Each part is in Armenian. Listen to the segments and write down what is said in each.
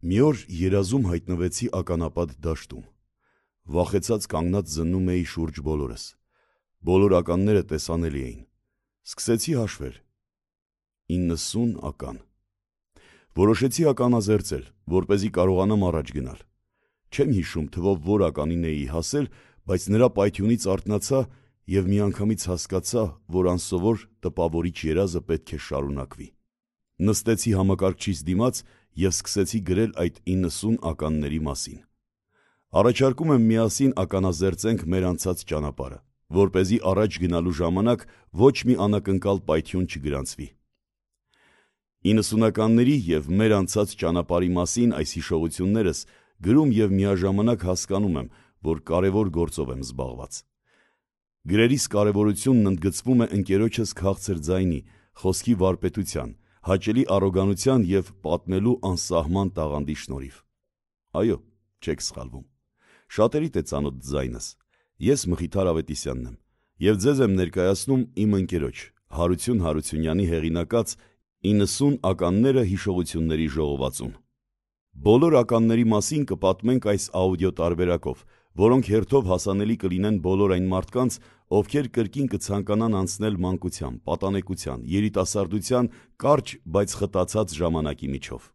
Մի օր երազում հայտնվեցի ականապատ դաշտում, վախեցած կանգնած զննում էի շուրջ բոլորս, բոլոր ականները տեսանելի էին, սկսեցի հաշվել, 90 ական, որոշեցի ականազերծել, որպեսզի կարողանամ առաջ գնալ, չեմ հիշում թվով որ ականին էի հասել, բայց նրա պայթյունից արթնացա և միանգամից հասկացա, որ անսովոր տպավորիչ երազը պետք է շարունակվի, նստեցի համակարգչիս դիմաց և սկսեցի գրել այդ 90 ականների մասին, առաջարկում եմ միասին ականազերծենք մեր անցած ճանապարհը, որպեսզի առաջ գնալու ժամանակ ոչ մի անակնկալ պայթյուն չգրանցվի, 90-ականների և մեր անցած ճանապարհի մասին այս հիշողություններս գրում և միաժամանակ հասկանում եմ, որ կարևոր գործով եմ զբաղված, գրերիս կարևորությունն ընդգծվում է ընկերոջս քաղցր ձայնի, խոսքի վարպետության, հաճելի առոգանության և պատմելու անսահման տաղանդի շնորհիվ, այո, չեք սխալվում, շատերիդ է ծանոթ ձայնս, ես Մխիթար Ավետիսյանն եմ և ձեզ եմ ներկայացնում իմ ընկերոջ Հարություն Հարությունյանի հեղինակած 90 ականները հիշողությունների ժողովածուն, բոլոր ականների մասին կպատմենք այս աուդիո տարբերակով, որոնք հերթով հասանելի կլինեն բոլոր այն մարդկանց, ովքեր կրկին կցանկանան անցնել մանկության, պատանեկության, երիտասարդության կարճ, բայց խտացած ժամանակի միջով,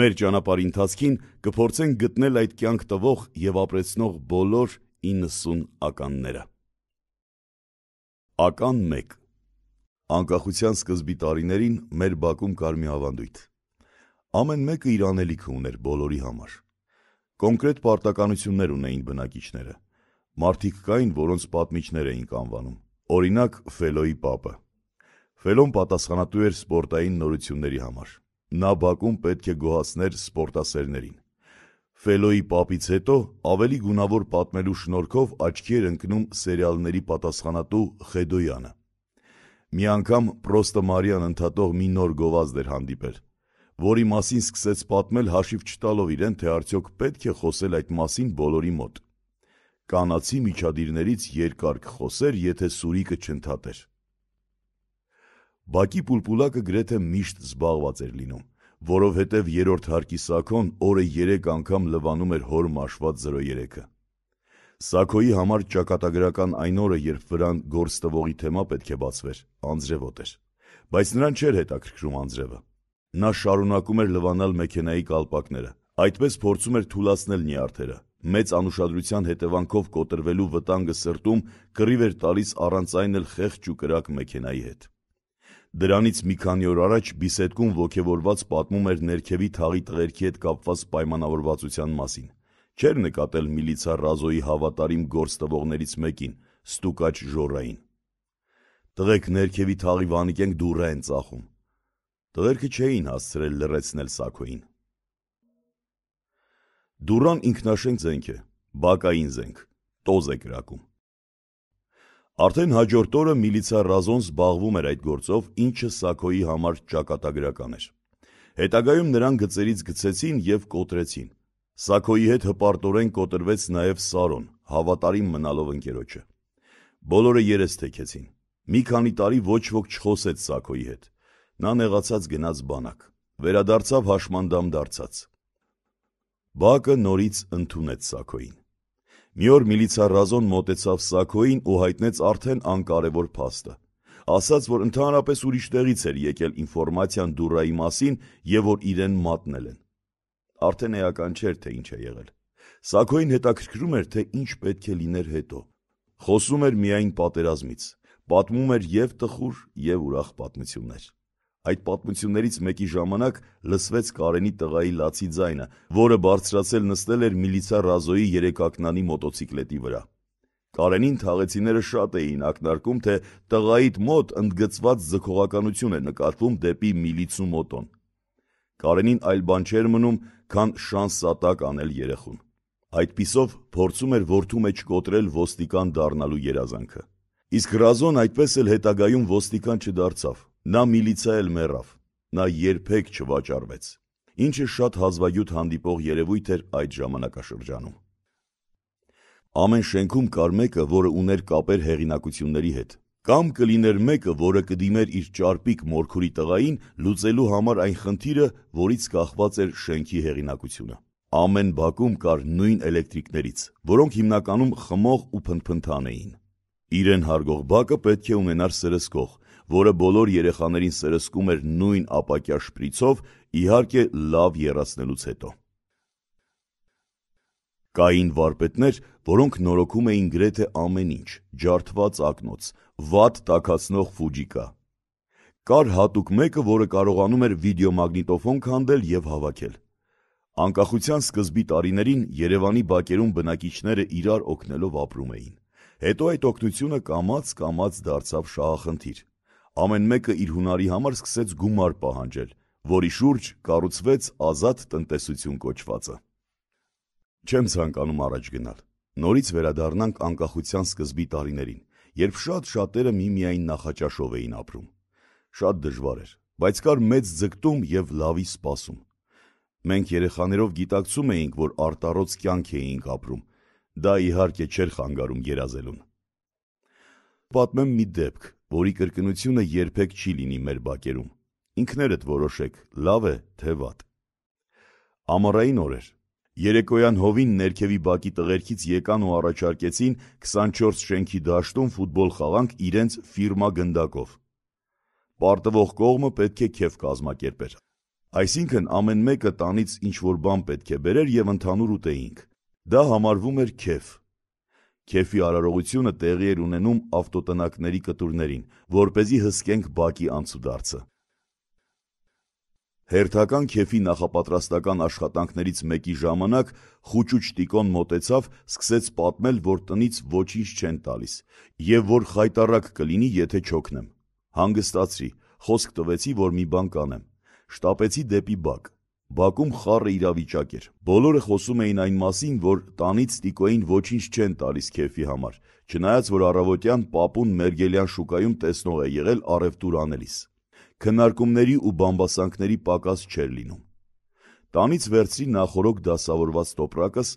մեր ճանապարհի ընթացքին կփորձենք գտնել այդ կյանք տվող և ապրեցնող բոլոր 90 ականները, Ական 1 Անկախության սկզբի տարիներին մեր բակում կար մի ավանդույթ, ամեն մեկը իր անելիքը ուներ բոլորի համար, կոնկրետ պարտականություններ ունեին բնակիչները, մարդիկ կային, որոնց պատմիչներ էինք անվանում, օրինակ Ֆելոյի պապը, Ֆելոն պատասխանատու էր սպորտային նորությունների համար, նա բակում պետք է գոհացներ սպորտասերներին, Ֆելոյի պապից հետո ավելի գունավոր պատմելու շնորհքով աչքի էր ընկնում սերիալների պատասխանատու Խեդոյանը, մի անգամ Պրոստը Մարիան ընդհատող մի նոր գովազդ էր հանդիպել, որի մասին սկսեց պատմել հաշիվ չտալով իրեն, թե արդյոք պետք է խոսել այդ մասին բոլորի մոտ, կանացի միջադիրներից երկար կխոսեր, եթե սուրիկը չընդհատեր, բակի պուլպուլակը գրեթե միշտ զբաղված էր լինում, որովհետև երրորդ հարկի Սաքոն օրը 3 անգամ լվանում էր հոր մաշված 03-ը, Սաքոյի համար ճակատագրական այն օրը, երբ վրան գործ տվողի թեմա պետք է բացվեր, անձրևոտ էր, բայց նրան չէր հետաքրքրում անձրևը, նա շարունակում էր լվանալ մեքենայի կալպակները, այդպես փորձում էր թուլացնել նյարդերը, մեծ անուշադրության հետևանքով կոտրվելու վտանգը սրտում կռիվ էր տալիս առանց այն էլ խեղճ ու կրակ մեքենայի հետ, դրանից մի քանի օր առաջ Բիսեդկուն ոգևորված պատմում էր ներքևի թաղի տղերքի հետ կապված պայմանավորվածության մասին, չէր նկատել միլիցա Ռազոյի հավատարիմ գործ տվողներից մեկին, Ստուկաչ Ժորային, տղեկ ներքևի թաղի վանիկենք դուռա են ծախում, տղերքը չէին հասցրել լռեցնել Սաքոյին, դուռան ինքնաշենք զենք է, բակային զենք, տոզ է կրակում, Արդեն հաջորդ օրը միլիցա Ռազոն զբաղվում էր այդ գործով, ինչը Սաքոյի համար ճակատագրական էր, հետագայում նրան գծերից գցեցին և կոտրեցին, Սաքոյի հետ հպարտորեն կոտրվեց նաև Սարոն, հավատարիմ մնալով ընկերոջը, բոլորը երես թեքեցին, մի քանի տարի ոչ ոք չխոսեց Սաքոյի հետ, նա նեղացած գնաց բանակ, վերադարձավ հաշմանդամ դարձած, բակը նորից ընդունեց Սաքոյին, մի օր միլիցա Ռազոն մոտեցավ Սաքոյին ու հայտնեց արդեն անկարևոր փաստը, ասաց, որ ընդհանրապես ուրիշ տեղից էր եկել ինֆորմացիան դուռայի մասին և որ իրեն մատնել են, արդեն էական չէր, թե ինչ է եղել, Սաքոյին հետաքրքրում էր, թե ինչ պետք է լիներ հետո, խոսում էր միայն պատերազմից, պատմում էր և տխուր և ուրախ պատմություններ, այդ պատմություններից մեկի ժամանակ լսվեց Կարենի տղայի լացի ձայնը, որը բարձրացել նստել էր միլիցա Ռազոյի երեկակնանի մոտոցիկլետի վրա, Կարենին թաղեցիները շատ էին ակնարկում, թե տղայիդ մոտ ընդգծված ձգողականություն է նկատվում դեպի միլիցու մոտոն, Կարենին այլ բան չէր մնում, քան շանս-սատակ անել երեխուն, այդպիսով փորձում էր որդու մեջ կոտրել ոստիկան դառնալու երազանքը, իսկ Ռազոն այդպես էլ հետագայում ոստիկան չդարձավ, նա միլիցա էլ մեռավ, նա երբեք չվաճառվեց, ինչը շատ հազվագյուտ հանդիպող երևույթ էր այդ ժամանակաշրջանում, ամեն շենքում կար մեկը, որը ուներ կապեր հեղինակությունների հետ, Կամ կլիներ մեկը, որը կդիմեր իր ճարպիկ մորքուրի տղային լուծելու համար այն խնդիրը, որից կախված էր շենքի հեղինակությունը։ Ամեն բակում կար նույն էլեկտրիկներից, որոնք հիմնականում խմող ու փնթփնթան էին։ Իրեն հարգող բակը պետք է ունենար սրսկող, որը բոլոր երեխաներին սրսկում էր նույն ապակյա շպրիցով, իհարկե լավ եռացնելուց հետո։ Կային վարպետներ, որոնք նորոգում էին գրեթե ամեն ինչ՝ ջարդված ակնոց, վատ տաքացնող ֆուջիկա։ Կար հատուկ մեկը, որը կարողանում էր վիդեոմագնիտոֆոն քանդել եւ հավաքել։ Անկախության սկզբի տարիներին Երևանի բակերում բնակիչները իրար օգնելով ապրում էին։ Հետո այդ օգնությունը կամաց դարձավ շահախնդիր։ Ամեն մեկը իր հունարի համար սկսեց գումար պահանջել, որի շուրջ կառուցվեց ազատ տնտեսություն կոչվածը։ Չեմ ցանկանում առաջ գնալ։ Նորից վերադառնանք անկախության սկզբի տարիներին, երբ շատերը միմիայն նախաճաշով էին ապրում։ Շատ դժվար էր, բայց կար մեծ ձգտում եւ լավի սպասում։ Մենք երեխաներով գիտակցում էինք, որ արտառոց կյանք էինք ապրում։ Դա իհարկե չէր խանգարում երազելուն։ Պատմեմ մի դեպք, որի կրկնությունը երբեք չի լինի մեր բակերում։ Ինքներդ որոշեք, լավ է, թե վատ։ Ամառային օր էր։ Երեկոյան հովին ներքևի բակի տղերքից եկան ու առաջարկեցին 24 շենքի դաշտում ֆուտբոլ խաղանք իրենց ֆիրմա գնդակով։ Պարտվող կողմը պետք է քեֆ կազմակերպեր։ Այսինքն ամեն մեկը տանից ինչ-որ բան պետք է բերեր եւ ընդհանուր ուտեինք։ Դա համարվում էր քեֆ։ Քեֆի արարողությունը տեղի էր ունենում ավտոտնակների կտուրներին, որպեսզի հսկենք բակի անցուդարձը։ Հերթական քեֆի նախապատրաստական աշխատանքներից մեկի ժամանակ խուճուճ Տիկոն մոտեցավ, սկսեց պատմել, որ տնից ոչինչ չեն տալիս եւ որ խայտառակ կլինի, եթե չօգնեմ։ Հանգստացրի, խոսք տվեցի, որ մի բան կանեմ։ Շտապեցի դեպի բակ։ Բակում խառը իրավիճակ էր։ Բոլորը խոսում էին այն մասին, որ տանից Տիկոյին ոչինչ չեն տալիս քեֆի համար, չնայած որ առավոտյան պապուն Մերգելյան շուկայում տեսնող է եղել առևտուր անելիս։ Քննարկումների ու բամբասանքների պակաս չէր լինում։ Տանից վերցրի նախորոք դասավորված տոպրակս,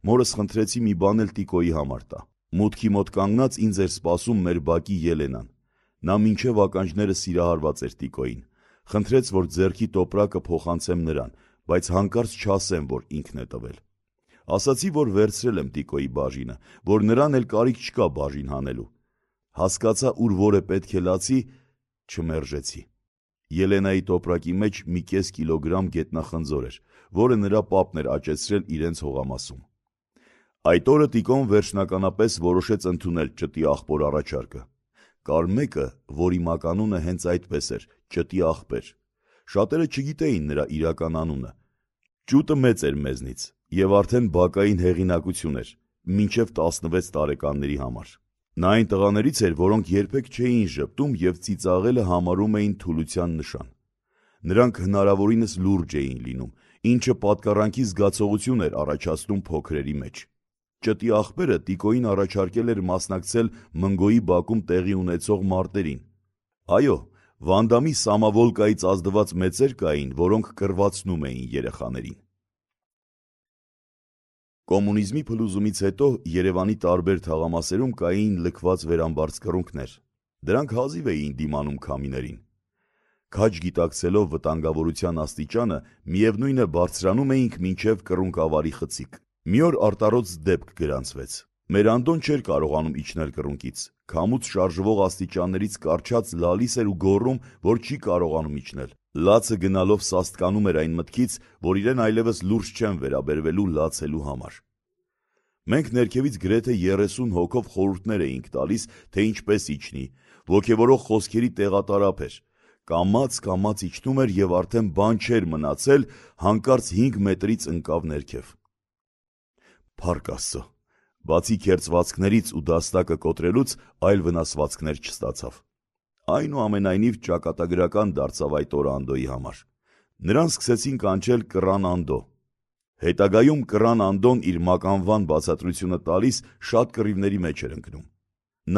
մորս խնդրեցի մի բան էլ Տիկոյի համար տա։ Մուտքի մոտ կանգնած ինձ էր սպասում մեր բակի Ելենան։ Նա մինչև ականջները սիրահարված էր Տիկոյին։ Խնդրեց, որ ձեռքի տոպրակը փոխանցեմ նրան, բայց հանկարծ չասեմ, որ ինքն է տվել։ Ասացի, որ վերցրել եմ Տիկոյի բաժինը, որ նրան էլ կարիք չկա բաժին հանելու։ Հասկացա, ուր որ է պետք է լացի, չմերժեցի։ Ելենայի տոպրակի մեջ մի կես կիլոգրամ գետնախնձոր էր, որը նրա պապն էր աճեցրել իրենց հողամասում։ Այդ օրը Տիկոն վերջնականապես որոշեց ընդունել ճտի աղբոր առաջարկը։ Կար մեկը, որի մականունը հենց այդպես էր՝ ճտի աղբեր։ Շատերը չգիտեին նրա իրական անունը։ Ճուտը մեծ էր մեզնից եւ արդեն բակային հեղինակություն էր, մինչև 16 տարեկանների համար։ Նա այն տղաներից էր, որոնք երբեք չէին ժպտում եւ ծիծաղելը համարում էին թուլության նշան։ Նրանք հնարավորինս լուրջ էին լինում, ինչը պատկառանքի զգացողություն էր առաջացնում փոքրերի մեջ։ Ճտի աղբերը Տիկոյին առաջարկել էր մասնակցել Մնգոյի բակում տեղի ունեցող մարտերին։ Այո, Վանդամի Սամավոլկայից ազդված մեծեր կային, որոնք կռվածնում էին երեխաներին։ Կոմունիզմի փլուզումից հետո Երևանի տարբեր թաղամասերում կային լքված վերամբարձկռունգներ։ Դրանք հազիվ էին դիմանում քամիներին։ Քաջ գիտակցելով վտանգավորության աստիճանը, միևնույն է բարձրանում էինք մինչև կռունկավարի խցիկ։ Մի օր արտառոց դեպք գրանցվեց։ Մեր Անդոն չէր կարողանում իջնել կռունկից։ Քամուց շարժվող աստիճաններից կառչած լալիս էր ու գոռում, որ չի կարողանում իջնել։ Լացը գնալով սաստկանում էր այն մտքից, որ իրեն այլևս լուրջ չեն վերաբերվելու լացելու համար։ Մենք ներքևից գրեթե 30 հոգով խորհուրդներ էինք տալիս, թե ինչպես իջնի, ոգևորող խոսքերի տեղատարափ էր։ Կամաց իջնում էր եւ արդեն բան չէր մնացել, հանկարծ 5 մետրից ընկավ ներքև։ Փառք Աստծո, բացի քերծվածքներից ու դաստակը կոտրելուց այլ վնասվածքներ չստացավ։ Այնուամենայնիվ ճակատագրական դարձավ այդ օրը Անդոյի համար։ Նրան սկսեցին կանչել Կռան Անդո։ Հետագայում Կռան Անդոն իր մականվան բացատրությունը տալիս շատ կռիվների մեջ էր ընկնում։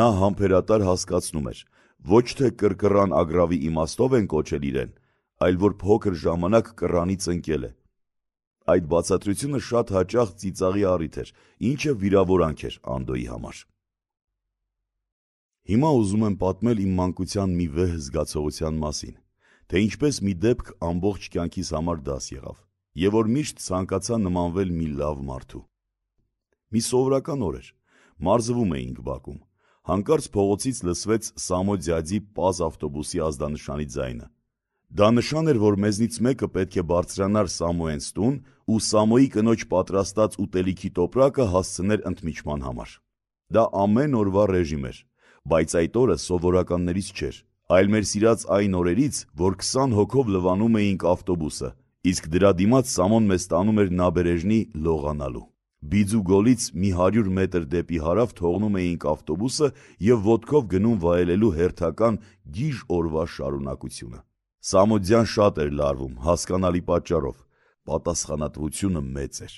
Նա համբերատար հասկացնում էր, ոչ թե կռկռան ագրավի իմաստով են կոչել իրեն, այլ որ փոքր ժամանակ կռանից ընկել է։ Այդ բացատրությունը շատ հաճախ ծիծաղի առիթ էր, ինչը վիրավորանք էր Անդոյի համար։ Հիմա ուզում եմ պատմել իմ մանկության մի վեհ զգացողության մասին, թե ինչպես մի դեպք ամբողջ կյանքիս համար դաս եղավ, եւ որ միշտ ցանկացա նմանվել մի լավ մարդու։ Մի սովորական օր էր, մարզվում էինք բակում, հանկարծ փողոցից լսվեց Սամո ձյաձի պազ ավտոբուսի ազդանշանի ձայնը։ Դա նշան էր, որ մեզնից մեկը պետք է բարձրանար Սամոյենց տուն ու Սամոյի կնոջ պատրաստած ուտելիքի տոպրակը հասցներ ընդմիջման համար։ Դա ամեն օրվա ռեժիմ էր, բայց այդ օրը սովորականներից չէր, այլ մեր սիրած այն օրերից, որ 20 հոգով լվանում էինք ավտոբուսը, իսկ դրա դիմաց Սամոն մեզ տանում էր նաբերեժնի լողանալու։ Բիձու գոլից մի 100 մետր դեպի հարավ թողնում էինք ավտոբուսը և ոտքով գնում վայելելու հերթական գիժ օրվա շարունակությունը։ Սամո ձյան շատ էր լարվում, հասկանալի պատճառով, պատասխանատվությունը մեծ էր։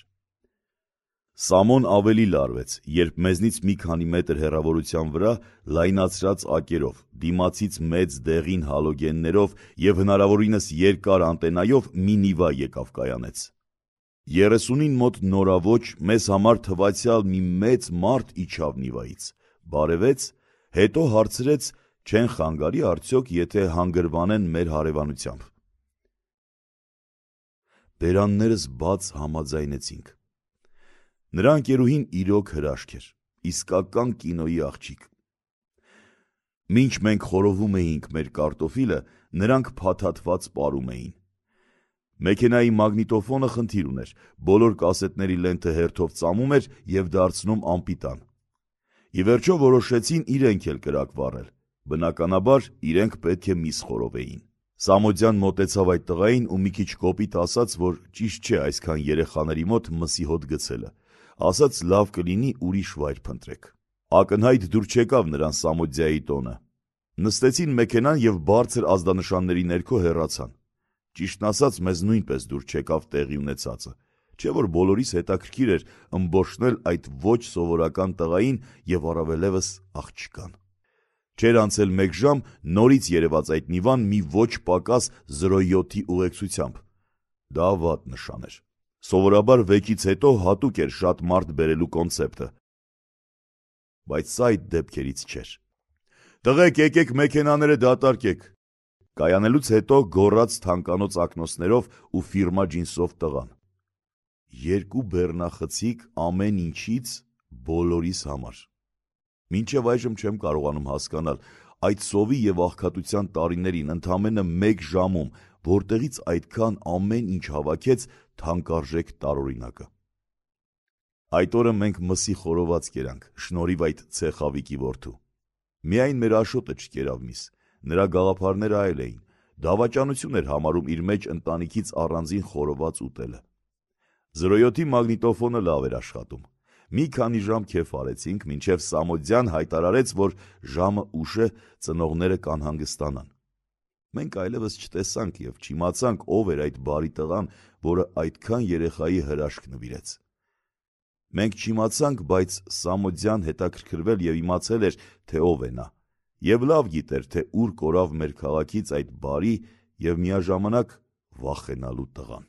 Սամոն ավելի լարվեց, երբ մեզնից մի քանի մետր հեռավորության վրա լայնացրած ակերով, դիմացից մեծ դեղին հալոգեններով և հնարավորինս երկար անտենայով մի Նիվա եկավ կայանեց։ 30-ին մոտ նորաոճ մեզ համար թվացյալ մի մեծ մարդ իջավ Նիվայից, բարևեց, հետո հարցրեց չեն խանգարի արդյոք, եթե հանգրվանեն մեր հարևանությամբ։ Բերաններս բաց համաձայնեցինք։ Նրա ընկերուհին իրոք հրաշք էր, իսկական կինոյի աղջիկ։ Մինչ մենք խորովում էինք մեր կարտոֆիլը, նրանք փաթաթված պարում էին։ Մեքենայի մագնիտոֆոնը խնդիր ուներ, բոլոր կասետների լենթը հերթով ծամում էր և դարձնում անպիտան։ Ի վերջո որոշեցին իրենք էլ կրակ վառել, բնականաբար իրենք պետք է միս խորովեին։ Սամո ձյան մոտեցավ այդ տղային ու մի քիչ կոպիտ ասաց, որ ճիշտ չէ այսքան երեխաների մոտ մսի հոտ գցելը, ասաց լավ կլինի ուրիշ վայր փնտրեք։ Ակնհայտ դուր չեկավ նրան Սամո ձյայի տոնը։ Նստեցին մեքենան և բարձր ազդանշանների ներքո հեռացան։ Ճիշտն ասած, մեզ նույնպես դուր չեկավ տեղի ունեցածը, չէ որ բոլորիս հետաքրքիր էր ըմբոշխնել այդ ոչ սովորական տղային և առավելևս աղջկան։ Չէր անցել 1 ժամ, նորից երևաց այդ Նիվան մի ոչ պակաս 07-ի ուղեկցությամբ։ Դա վատ նշան էր։ Սովորաբար վեկից հետո հատուկ էր շատ մարդ բերելու կոնցեպտը, բայց սա այդ դեպքերից չէր։ «Տղեկ, եկեք մեքենաները դատարկեք», կայանելուց հետո գոռաց թանկանոց ակնոցներով ու ֆիրմա ջինսով տղան։ 2 բեռնախցիկ ամեն ինչից բոլորիս համար։ Մինչև այժմ չեմ կարողանում հասկանալ այդ սովի և աղքատության տարիներին ընդամենը 1 ժամում որտեղից այդքան ամեն ինչ հավաքեց թանկարժեք տարօրինակը։ Այդ օրը մենք մսի խորոված կերանք, շնորհիվ այդ ցեխավիկի որդու։ Միայն մեր Աշոտը չկերավ միս, նրա գաղափարները այլ էին, դավաճանություն էր համարում իր մեջ ընտանիքից առանձին խորոված ուտելը։ 07-ի մագնիտոֆոնը լավ էր աշխատում։ Մի քանի ժամ քեֆ արեցինք, մինչև Սամո ձյան հայտարարեց, որ ժամը ուշ է, ծնողները կանհանգստանան։ Մենք այլևս չտեսանք և չիմացանք ով էր այդ բարի տղան, որը այդքան երեխայի հրաշք նվիրեց։ Մենք չիմացանք, բայց Սամո ձյան հետաքրքրվել և իմացել էր, թե ով է նա, և լավ գիտեր, թե ուր կորավ մեր քաղաքից այդ բարի և միաժամանակ վախենալու տղան։